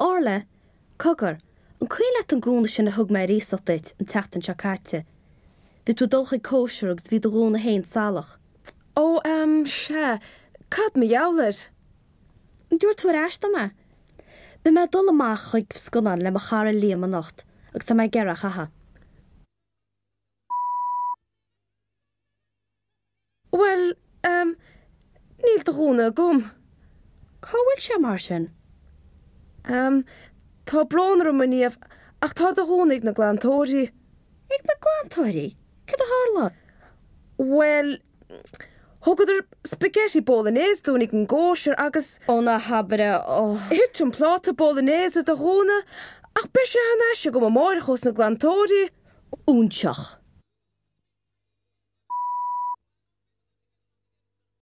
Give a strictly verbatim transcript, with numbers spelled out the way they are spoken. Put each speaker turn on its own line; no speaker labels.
Orla, cogar, an cuimhin leat an gúna sin a thug mé ar iasacht duit an tseachtain seo caite? Bhí tú ag dul chuig cóisir agus bhí do ghúna féin salach.
Ó, em, sea, cad mar gheall air?
An dtabharfaidh tú ar ais dom é? Beidh mé ag dul amach chuig scannán le mo chara Liam anocht agus tá mé ag iarraidh é a chaitheamh.
Bhuel, em, níl do ghúna agam.
Cá bhfuil sé mar sin?
Em, tá brón orm, a Niamh, ach tá do ghúna ag na glantóirí.
Ag na glantóirí? Cad a tharla?
Bhuel, thugadar spaghetti bolognese dúinn ag an gcóisir agus.
Ó ná habair é, ó.
Thit an pláta bolognese ar do ghúna, ach beidh sé thar n-ais agam amárach ós na glantóirí.
Óinseach.